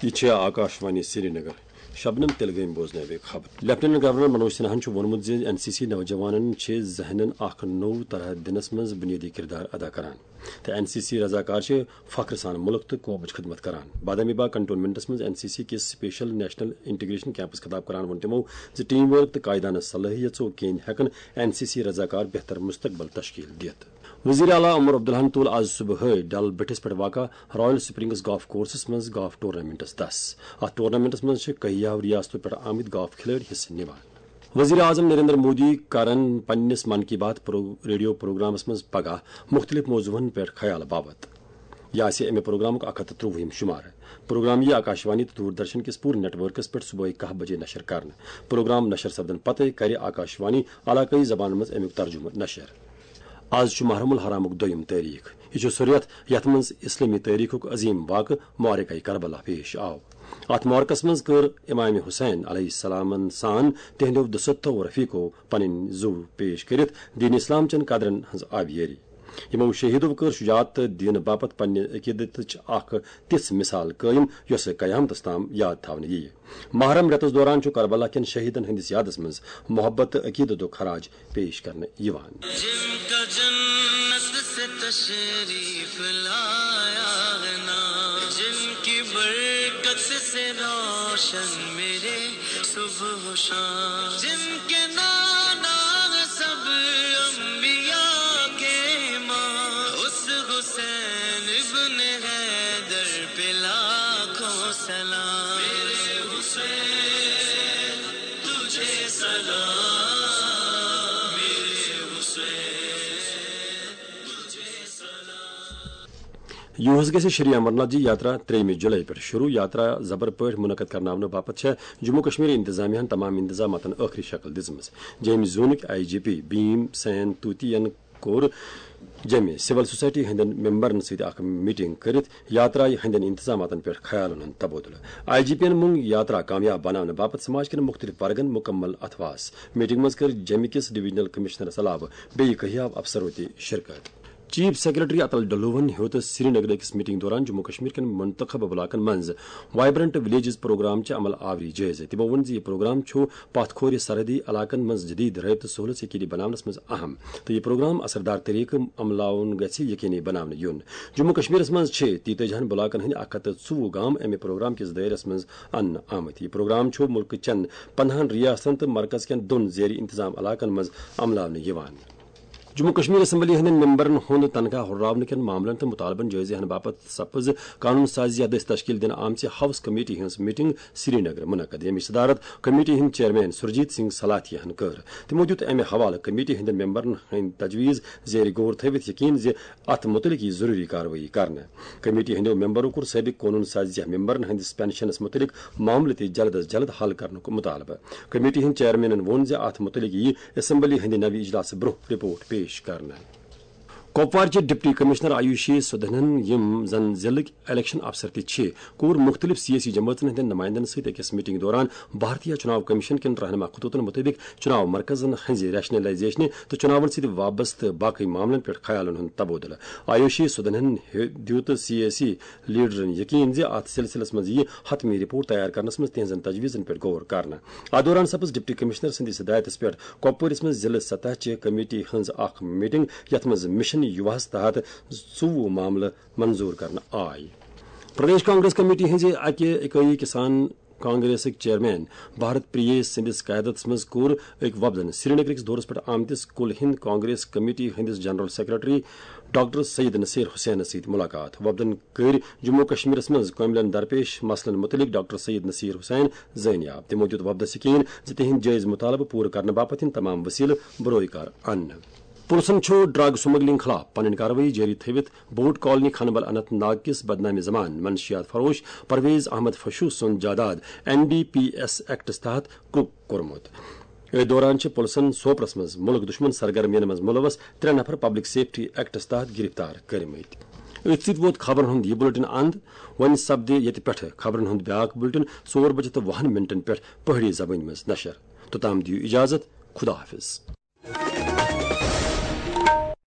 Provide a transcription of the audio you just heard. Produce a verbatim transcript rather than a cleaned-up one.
یہِ چھِ آکاشوانی سرینگر۔ شبنم، تیٚلہِ گٔیہِ بوزنٲوِو خبر۔ لیفٹیننٹ گورنر منوج سنہاہن چھُ ووٚنمُت زِ این سی سی نوجوانن چھِ ذہنن اکھ نوٚو طرح دِنس منٛز بُنیٲدی کردار ادا کران تہٕ این سی سی رضاکار چھِ فخر سان مُلک تہٕ قومٕچ خدمت کران۔ بادامی باغ کنٹونمنٹس منٛز این سی سی کِس سپیشل نیشنل انٹیگریشن کیمپس خطاب کران ووٚن تِمو زِ ٹیم ورک تہٕ قائدانہٕ صلٲحیژو کِنۍ ہٮ۪کن این سی سی رضاکار بہتر مستقبل تشکیل دِتھ۔ وزیر اعلیٰ عمر عبداللہن تُل آز صبحٲے ڈل بٔٹھِس پٮ۪ٹھ واقع رائل سپرنگز گالف کورسس منٛز گالف ٹورنامنٹس دس۔ اتھ ٹورنامنٹس منٛز چھِ کہیاہو ریاستو پٮ۪ٹھ آمٕتۍ گالف کھلٲڑۍ حصہٕ نِوان۔ وزیر اعظم نریندر مودی کرن پننِس من کی بات پرو-، ریڈیو پروگرامس منٛز پگاہ مُختٔلِف موضوعن پٮ۪ٹھ خیال باپتھ۔ یہِ آسہِ امہِ پروگرامُک اکھ ہتھ تہٕ ترٛۆوُہِم شُمارٕ۔ پروگرام یِیہِ آکاشوانی تہٕ دوردرشن کِس پوٗرٕ نیٹ ورکس پٮ۪ٹھ صبحٲے کاہ بجے نشر کرنہٕ۔ پروگرام نشر سپدن پتہٕ کرِ آکاشوانی علاقٲیی زبانن منٛز امیُک ترجمہٕ نشر۔ آز چھُ محرم الحرامُک دوٚیِم تٲریخ۔ یہِ چھُ سُہ رٮ۪تھ یتھ منٛز اسلٲمی تٲریخُک عظیم واقعہٕ معرکہ کربلا پیش آو۔ اتھ معرکس منٛز کٔر امام حسین علیہ السلامن سان تہنٛدیو دُستو رفیقو پنٕنۍ زُو پیش کٔرِتھ دین اسلام چٮ۪ن قدرن ہٕنٛز آبیٲری۔ یِمو شہیدو کٔر شجاعت تہٕ دینہٕ باپتھ پننہِ عقیدتٕچ اکھ تِژھ مثال قٲیم یۄسہٕ قیامتس تام یاد تھاونہٕ یِیہِ۔ محرم رٮ۪تس دوران چھُ کربلا کٮ۪ن شہیدن ہٕنٛدِس یادس منٛز محبت تہٕ عقیدتُک خراج پیش کرنہٕ یِوان۔ جن کا جنت سے تشریف لایا ہے نام، جن کی برکت سے روشن میرے صبح و شام، جن کے نانا سب انبیاء کے امام، اس حسین ابن حیدر پہ لاکھوں سلام۔ میرے حسین تجھے سلام، میرے حسین تجھے سلام۔ یُہُس گژھِ شری امرناتھ جی یاترا ترٛیٚیِمہِ جُلای پٮ۪ٹھ شروع۔ یاترا زبر پٲٹھۍ منعقد کرناونہٕ باپتھ چھےٚ جموں کشمیر انتظامیہ ہن تمام انتظاماتن ٲخری شکل دِژمٕژ۔ جیٚمہِ زونٕکۍ آئی جی پی بھیم سین توتی ین کوٚر جیٚمہِ سول سوسائٹی ہٕنٛدٮ۪ن ممبرن سۭتۍ اکھ میٹنگ کٔرِتھ یاترایہِ ہٕنٛدٮ۪ن انتظاماتن پٮ۪ٹھ خیالن ہُنٛد تبادلہٕ۔ آئی جی پی ین مۄنگ یاترا کامیاب بناونہٕ باپتھ سماج کٮ۪ن مُختٔلِف ورگن مُکمل اتھواس۔ میٹنگ منٛز کٔر جیٚمہِ کِس ڈویژنل کمشنرس علاوٕ بیٚیہِ کہیاو افسرو تہِ شرکت۔ چیف سیکرٹری اتل ڈلوہن ہیوٚت سرینگرٕ أکِس میٹنگ دوران جموں کشمیر کٮ۪ن منتخب علاقن منٛز وائبرنٹ ولیجز پروگرام چہِ عمل آوری جٲیزٕ۔ تِمو ووٚن زِ یہِ پروگرام چھُ پتھ کھورِ سرحدی علاقن منٛز جدید رٲبطہٕ سہولت یقینی بناونس منٛز اہم، تہٕ یہِ پروگرام اثردار طریقہٕ عملاوُن گژھِ یقینی بناونہٕ یُن۔ جموں کشمیرس منٛز چھِ تیتٲجی ہن بلاکن ہٕنٛدۍ اکھ ہتھ تہٕ ژوٚوُہ گام امہِ پروگرام کِس دٲیرس منٛز اننہٕ آمٕتۍ۔ یہِ پروگرام چھُ مُلکہٕ چٮ۪ن پندہن ریاستن تہٕ مرکز کٮ۪ن دۄن زیر انتظام علاقن منٛز عملاونہٕ یِوان۔ جموں کشمیر اسمبلی ہٕنٛدٮ۪ن ممبرن ہُنٛد تنخواہ ہُرراونہٕ کٮ۪ن معاملن تہٕ مُطالبن جٲیزٕ ہٮ۪نہٕ باپتھ سپٕز قانون سازی دٔسۍ تشکیل دِنہٕ آمژِ ہاؤس کمیٹی ہٕنٛز میٹنگ سرینگرٕ منعقد، ییٚمِچ صدارت کمیٹی ہٕنٛدۍ چیئرمین سرجیت سنگھ سلاتھیہ ہن کٔر۔ تِمو دیُت امہِ حوالہٕ کمیٹی ہٕنٛدٮ۪ن ممبرن ہٕنٛدۍ تجویز زیر غور تھٲوِتھ یقین زِ اتھ مُتعلق یِیہِ ضروٗری کاروٲیی کرنہٕ۔ کمیٹی ہٕنٛدٮ۪و ممبرو کوٚر سٲبِق قونوٗن سازیہ ممبرن ہٕنٛدِس پنشنس مُتعلق معاملہٕ تہِ جلد از جلد حل کرنُک مُطالبہٕ۔ کمیٹی ہٕنٛدۍ چیئرمینن ووٚن زِ اتھ مُتعلق یِیہِ اسمبلی ہٕنٛدِ نوِ اجلاسہٕ برٛونٛہہ رپورٹ پیش کرنہٕ۔ کۄپوارچہِ ڈپٹی کمشنر آیوشی سدھنن، یِم زن ضلعٕکۍ الیکشن افسر تہِ چھِ، کوٚر مُختٔلِف سیٲسی جمٲژن ہٕنٛدٮ۪ن نُمایندن سۭتۍ أکِس میٹنگ دوران بھارتیہ چُناو کمیشن کٮ۪ن رہنما خطوطن مُطٲبِق چُناو مرکزن ہٕنٛزِ ریشنلائزیشنہِ تہٕ چُناون سۭتۍ وابستہٕ باقٕے معاملن پٮ۪ٹھ خیالن ہُنٛد تبادلہٕ۔ آیوشی سدھنن ہیو-، دیُت سیٲسی لیڈرن یقین زِ اتھ سلسلس منٛز یِیہِ حتمی رپورٹ تیار کرنس منٛز تہنٛزن تجویزن پٮ۪ٹھ غور کرنہٕ۔ اتھ دوران سپٕز ڈپٹی کمشنر سٕنٛدِس ہدایتس پٮ۪ٹھ کۄپوٲرِس منٛز ضلعہٕ سطح چہِ کمیٹی ہٕنٛز اکھ میٹنگ، یتھ منٛز مشن یوہس تحت ژوٚوُہ معاملہٕ منظور کرنہٕ آے۔ پردیش کانگریس کمیٹی ہٕنٛزِ اکہِ اِکٲیی کسان کانگریسٕکۍ چیئرمین بھارت پریش سٕنٛدِس قیادتس منٛز کوٚر أکۍ وفدن سرینگرٕکِس دورس پٮ۪ٹھ آمتِس کُل ہند کانگریس کمیٹی ہٕنٛدِس general secretary doctor Syed Naseer حسینس سۭتۍ مُلاقات۔ وفدن کٔرۍ جموں و کشمیرس منٛز کٲملن درپیش مسلن مُتعلق ڈاکٹر سید نصیر حسین زٲنیاب۔ تِمو دیُت وفدس یقین زِ تِہنٛدۍ جٲیز مُطالبہٕ پوٗرٕ کرنہٕ باپتھ یِن تمام وسیلہٕ برٲے کار اننہٕ۔ پُلسن چھُ ڈرگ سمگلنگ خلاف پنٕنۍ کاروٲیی جٲری تھٲوِتھ بوٹ کالونی خانبل اننت ناگ کِس بدنامِ زمان منشیات فروش پرویز احمد فشو سُنٛد جائیداد این ڈی پی ایس ایکٹس تحت کرٛک کوٚرمُت۔ أتھۍ دوران چھِ پُلسن سوپرس منٛز مُلک دُشمن سرگرمین منٛز مُلوث ترٛےٚ نفر پبلک سیفٹی ایکٹس تحت گرفتار کٔرمٕتۍ۔ أتھۍ سۭتۍ ووت خبرن ہُنٛد یہِ بُلٹن اند۔ وۄنۍ سپدِ ییٚتہِ پٮ۪ٹھٕ خبرن ہُنٛد بیاکھ بُلٹن ژور بجے تہٕ وُہن منٹن پٮ۪ٹھ پہٲڑی زبٲنۍ منٛز نشر۔ توٚتام دِیِو اجازت، خدا حافظ۔